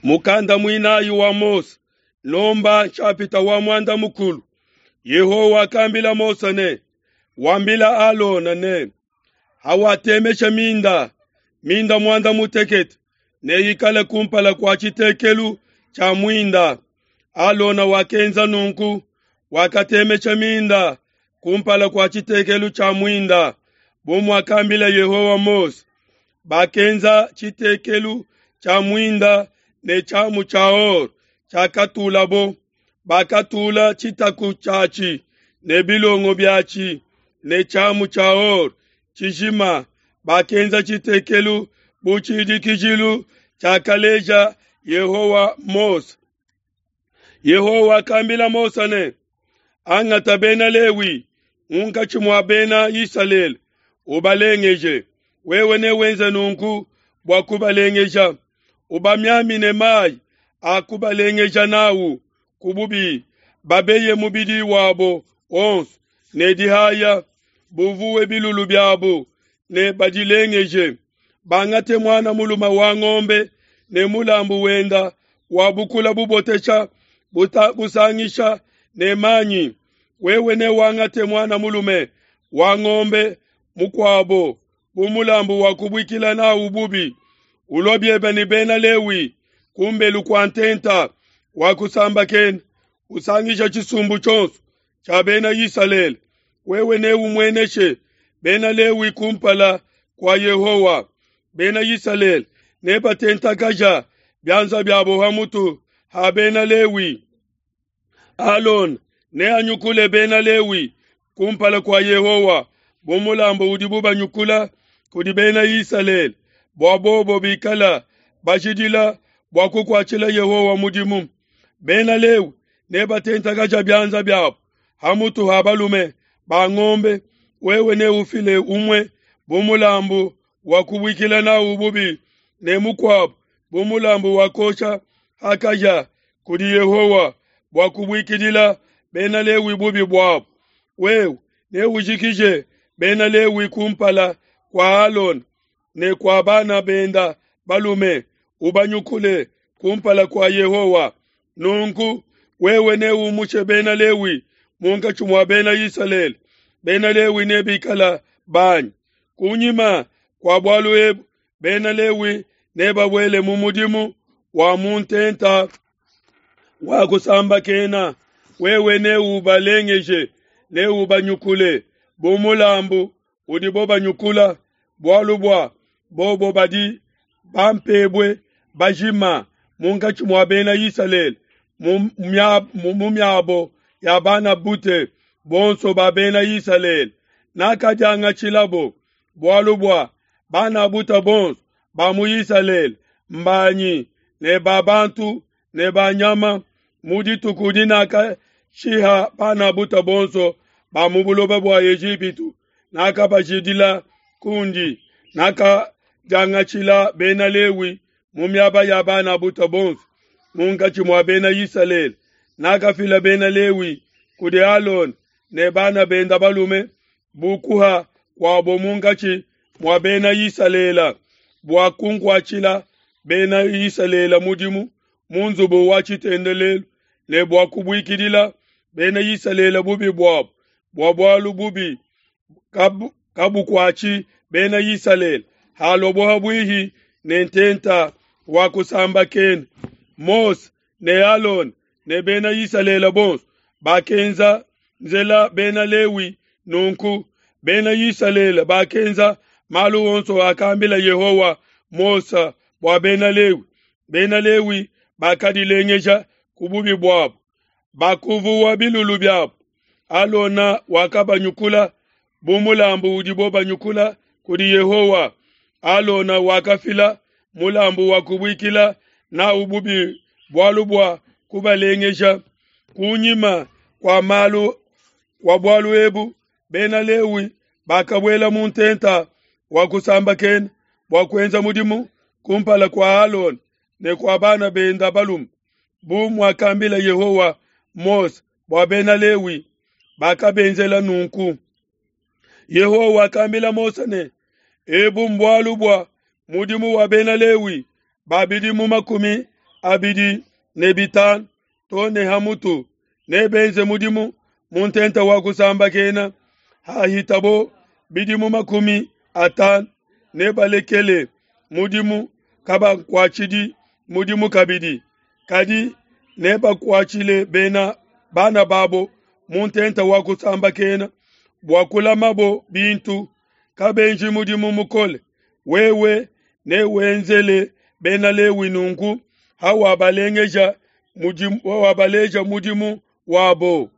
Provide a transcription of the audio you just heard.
Mukanda muinayi wa Mose, Nomba nshapita wa muanda mukulu. Yehowa wakambila Mose ne, Wambila Alona ne, hawatemesha minda, minda muanda mutekete neyikale kumpala kua tshitekelu tshia muinda. Alona wakenza nunku, wakatemesha minda kumpala kua tshitekelu tshia muinda, bu muakambila Yehowa Mose. Bakenza tshitekelu tshia muinda ne tshiamu tshia or tshiakatulabo, bakatula tshitaku tshiatshi ne bilongo biatshi ne tshiamu tshia or tshijima. Bakenza tshitekelu bu tshidikijilu tshiakaleja Yehowa Mose. Yehowa wakambila Mose ne, Angata bena Lewi munkatshi mua bena Isalele, ubalengeje. Wewe newenze nunku bua kubalengeja: ubamiamine mayi a kubalengeja nawu ku bubi, babeye mubidi wabo wonso ne dihaya, buvuwe bilulu biabo ne badilengeje. Bangate muana mulume wa ngombe ne mulambu wenda wa bukula bubotesha busangisha ne manyi. Wewe newangate muana mulume wa ngombe mukuabo bu mulambu wa kubuikila nawu bubi. Ulua biebe ne bena Lewi kumbelu kua ntenta wa kusambakena, usangisha tshisumbu tshionso tshia bena Isalele. Wewe neumueneshe bena Lewi kumpala kua Yehowa. Bena Isalele nebatentakaja bianza biabo ha mutu ha bena Lewi. Alona neanyukule bena Lewi kumpala kua Yehowa bu mulambu udibu banyukula kudi bena Isalele, bua bobo bikala bajidila bua kukuatshila Yehowa mudimu. Bena Lewi nebatentakaja bianza biabo ha mutu ha balume ba ngombe. Wewe neufile umue bu mulambu wa kubuikila nawu bubi ne mukuabo bu mulambu wa kuosha ha kahia kudi Yehowa bua kubuikidila bena Lewi bubi buabo. Wewe neujikije bena Lewi kumpala kua Alona ne kua bana benda balume, ubanyukule kumpala kua Yehowa. Nunku wewe neumushe bena Lewi munkatshi mua bena Isalele, bena Lewi nebikala banyi. Kunyima kua bualu ebu bena Lewi nebabuele mu mudimu wa mu ntenta wa kusambakena. Wewe neubalengeje, neubanyukule bu mulambu udibo banyukula, bualu bua bobo badi bampebue bajima munkatshi mua bena Isalele mu miabo ya bana bute bonso ba bena Isalele. Nakadiangatshilabo bualu bua bana buta bonso ba mu Isalele mbanyi ne ba bantu ne ba nyama mu dituku dinakashiha bana buta bonso ba mu buloba bua Ejipitu. Nakabajidila kundi, nakadiangatshila bena Lewi mu miaba ya bana buta bonso munkatshi mua bena Isalele. Nakafila bena Lewi kudi Alona ne bana benda balume bu kuha kuabo munkatshi mua bena Isalele bua kunkuatshila bena Isalele mudimu mu nzubu wa tshitendelelu ne bua kubuikidila bena Isalele bubi buabo, bua bualu bubi kabukuatshi bena Isalele halua buihi ne ntenta wa kusambakena. Mose ne Alona ne bena Isalele bonso bakenza nzela bena Lewi nunku. Bena Isalele bakenza malu onso akambila Yehowa Mose bua bena Lewi. Bena Lewi bakadilengeja ku bubi buabo, bakuvuwa bilulu biabo. Alona wakabanyukula bu mulambu udibo banyukula kudi Yehowa. Alona wakafila mulambu wa kubuikila nawu bubi bualu bua kubalengeja. Kunyima kua malu kua bualu ebu, bena Lewi bakabuela mu ntenta wa kusambakena bua kuenza mudimu kumpala kua Alona ne kua bana benda balume, bu muakambila Yehowa Mose bua bena Lewi. Bakabenzela nunku. Yehowa wakambila Mose ne, Ebu mbualu bua mudimu wa bena Lewi ba bidimu makumi 25 to ne ha mutu nebenze mudimu mu ntenta wa kusambakena. Hahitabo bidimu 50 nebalekele mudimu, kabakuatshidi mudimu kabidi, kadi nebakuatshile bena bana babo mu ntenta wa kusambakena bua kulamabo bintu, kabenji mudimu mukole. Wewe newenzele bena Lewi nunku hawabalengeja mudimu, hawabaleja mudimu wabo.